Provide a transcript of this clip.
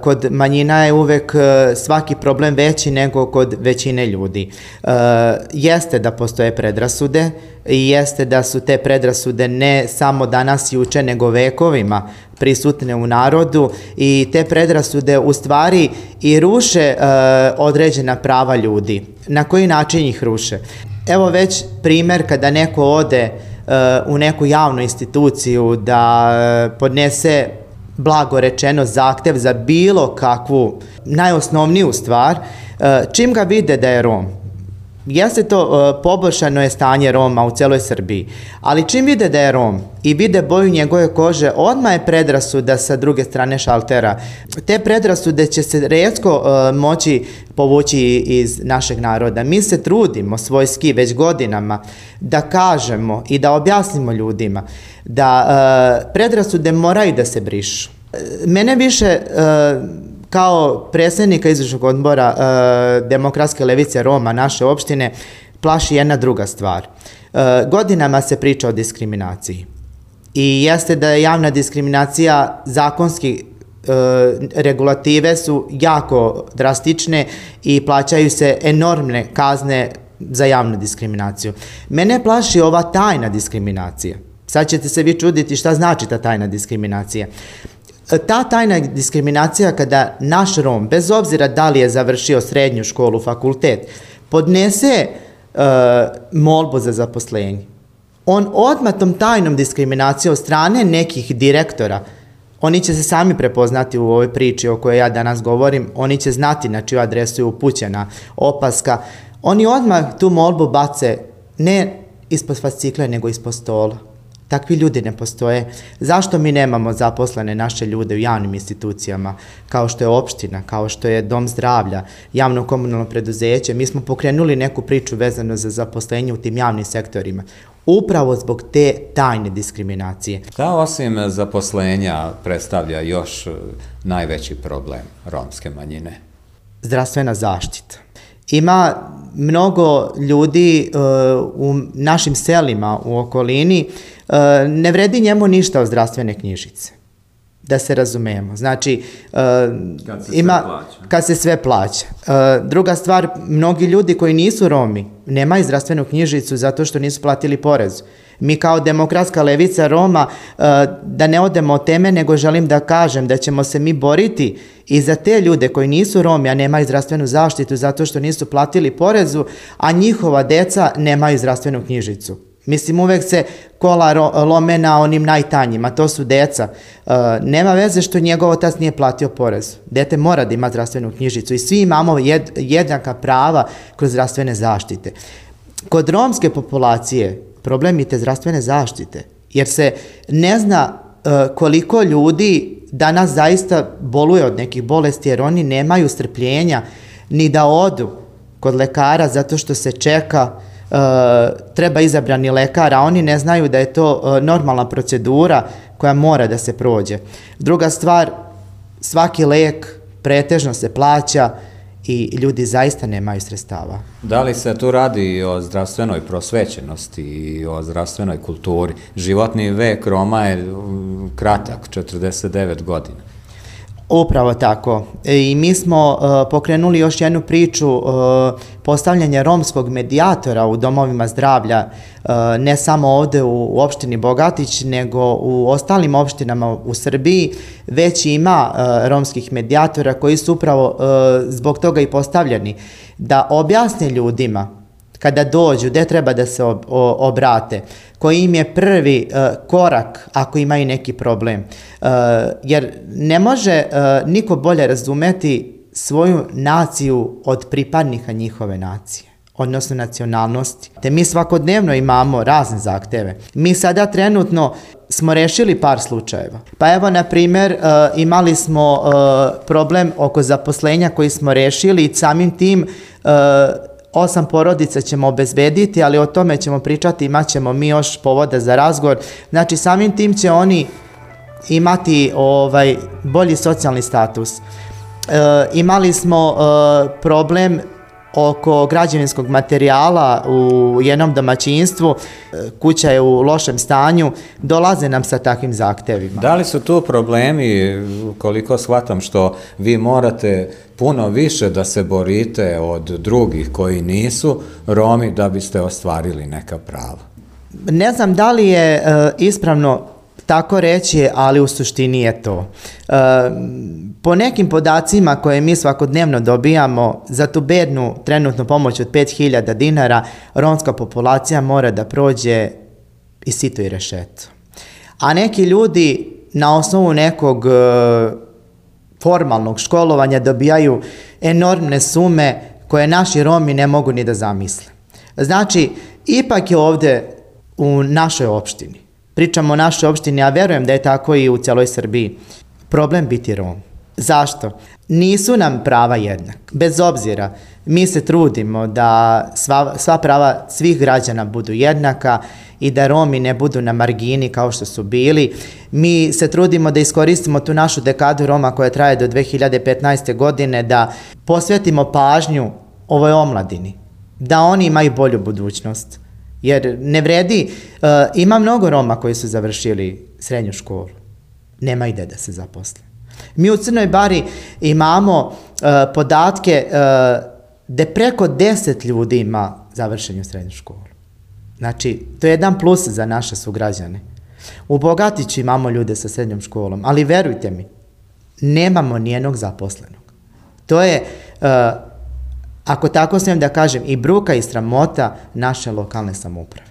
Kod manjina je uvek svaki problem veći nego kod većine ljudi. Jeste da postoje predrasude i jeste da su te predrasude ne samo danas i juče, nego vekovima prisutne u narodu i te predrasude u stvari i ruše određena prava ljudi. Na koji način ih ruše? Evo već primer kada neko ode u neku javnu instituciju da podnese blago rečeno zahtev za bilo kakvu najosnovniju stvar, čim ga vide da je Rom. Jeste to poboljšano je stanje Roma u celoj Srbiji, ali čim vide da je Rom i vide boju njegove kože, odmah je predrasuda sa druge strane šaltera. Te predrasude će se retko moći povući iz našeg naroda. Mi se trudimo svojski već godinama da kažemo i da objasnimo ljudima da predrasude moraju da se brišu. Mene više kao predsjednika izvršnog odbora Demokratske levice Roma naše opštine plaši jedna druga stvar. Godinama se priča o diskriminaciji i jeste da je javna diskriminacija zakonski regulative su jako drastične i plaćaju se enormne kazne za javnu diskriminaciju. Mene plaši ova tajna diskriminacija. Sad ćete se vi čuditi šta znači ta tajna diskriminacija. Ta tajna diskriminacija kada naš Rom, bez obzira da li je završio srednju školu, fakultet, podnese molbu za zaposlenje. On odmah tom tajnom diskriminacijom od strane nekih direktora, oni će se sami prepoznati u ovoj priči o kojoj ja danas govorim, oni će znati na čiju adresu je upućena opaska, oni odmah tu molbu bace ne ispod fascikla, nego ispod stola. Takvi ljudi ne postoje. Zašto mi nemamo zaposlene naše ljude u javnim institucijama, kao što je opština, kao što je dom zdravlja, javno komunalno preduzeće? Mi smo pokrenuli neku priču vezano za zaposlenje u tim javnim sektorima. Upravo zbog te tajne diskriminacije. Šta osim zaposlenja predstavlja još najveći problem romske manjine? Zdravstvena zaštita. Ima mnogo ljudi u našim selima u okolini, ne vredi njemu ništa od zdravstvene knjižice, da se razumemo. Znači, kad se sve plaća. Druga stvar, mnogi ljudi koji nisu Romi nemaju zdravstvenu knjižicu zato što nisu platili porez. Mi kao Demokratska levica Roma, da ne odemo od teme, nego želim da kažem da ćemo se mi boriti i za te ljude koji nisu Romi, a nemaju zdravstvenu zaštitu zato što nisu platili porezu, a njihova deca nemaju zdravstvenu knjižicu. Mislim, uvek se kola lome na onim najtanjima, to su deca. Nema veze što njegov otac nije platio porez. Dete mora da ima zdravstvenu knjižicu i svi imamo jednaka prava kroz zdravstvene zaštite. Kod romske populacije problem je te zdravstvene zaštite, jer se ne zna koliko ljudi danas zaista boluje od nekih bolesti, jer oni nemaju strpljenja ni da odu kod lekara zato što se čeka, treba izabrani lekar, a oni ne znaju da je to normalna procedura koja mora da se prođe. Druga stvar, svaki lek pretežno se plaća i ljudi zaista nemaju sredstava. Da li se tu radi i o zdravstvenoj prosvećenosti i o zdravstvenoj kulturi? Životni vek Roma je kratak, 49 godina. Upravo tako. I mi smo pokrenuli još jednu priču postavljanja romskog medijatora u domovima zdravlja, ne samo ovde u opštini Bogatić, nego u ostalim opštinama u Srbiji, već ima romskih medijatora koji su upravo zbog toga i postavljeni, da objasne ljudima kada dođu, gde treba da se obrate, koji im je prvi korak ako imaju neki problem. Jer ne može niko bolje razumeti svoju naciju od pripadnika njihove nacije, odnosno nacionalnosti. Te mi svakodnevno imamo razne zahteve. Mi sada trenutno smo rešili par slučajeva. Pa evo, na primer, imali smo problem oko zaposlenja koji smo rešili i samim tim 8 porodica ćemo obezbediti, ali o tome ćemo pričati, imat ćemo mi još povoda za razgovor. Znači, samim tim će oni imati bolji socijalni status. Imali smo problem oko građevinskog materijala u jednom domaćinstvu, kuća je u lošem stanju, dolaze nam sa takvim zahtevima. Da li su tu problemi, koliko shvatam, što vi morate puno više da se borite od drugih koji nisu Romi da biste ostvarili neka prava? Ne znam da li je ispravno tako reći, ali u suštini je to. Po nekim podacima koje mi svakodnevno dobijamo, za tu bednu trenutnu pomoć od 5.000 dinara, romska populacija mora da prođe i sito i rešeto. A neki ljudi na osnovu nekog formalnog školovanja dobijaju enormne sume koje naši Romi ne mogu ni da zamisle. Znači, ipak je ovde u našoj opštini, pričamo o našoj opštini, a verujem da je tako i u celoj Srbiji, problem biti Rom. Zašto? Nisu nam prava jednak. Bez obzira, mi se trudimo da sva prava svih građana budu jednaka i da Romi ne budu na margini kao što su bili. Mi se trudimo da iskoristimo tu našu dekadu Roma koja traje do 2015. godine, da posvetimo pažnju ovoj omladini, da oni imaju bolju budućnost. Jer ne vredi, ima mnogo Roma koji su završili srednju školu, nema ide da se zaposle. Mi u Crnoj Bari imamo podatke da preko 10 ljudi ima završenju srednju školu. Znači, to je jedan plus za naše sugrađane. U Bogatiću imamo ljude sa srednjom školom, ali verujte mi, nemamo nijednog zaposlenog. To je, ako tako smijem da kažem, i bruka i sramota naše lokalne samouprave.